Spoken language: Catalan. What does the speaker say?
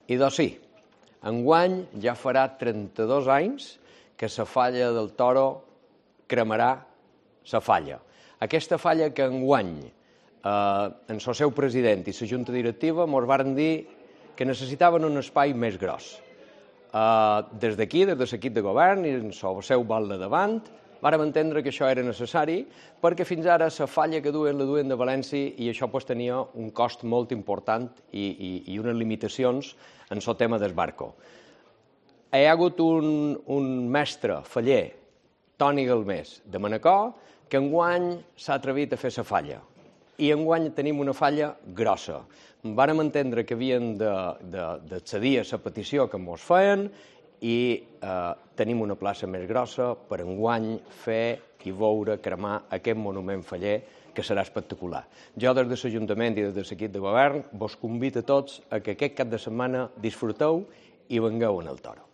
I doncs sí, enguany ja farà 32 anys que la falla del Toro cremarà la falla. Aquesta falla que enguany, en el seu president i la junta directiva, ens varen dir que necessitaven un espai més gros. Des d'aquí, des de l'equip de govern i en el seu vol de davant, vàrem entendre que això era necessari perquè fins ara la falla que duien la duien de València i això tenia un cost molt important i unes limitacions en el tema del barco. Hi ha hagut un mestre faller, Toni Galmés, de Manacor, que enguany s'ha atrevit a fer la falla. I enguany tenim una falla grossa. Vàrem entendre que havien d'accedir a la petició que ens feien i tenim una plaça més grossa per enguany fer i veure cremar aquest monument faller que serà espectacular. Jo des de l'Ajuntament i des de l'equip de govern vos convido a tots a que aquest cap de setmana disfruteu i vengueu en el Toro.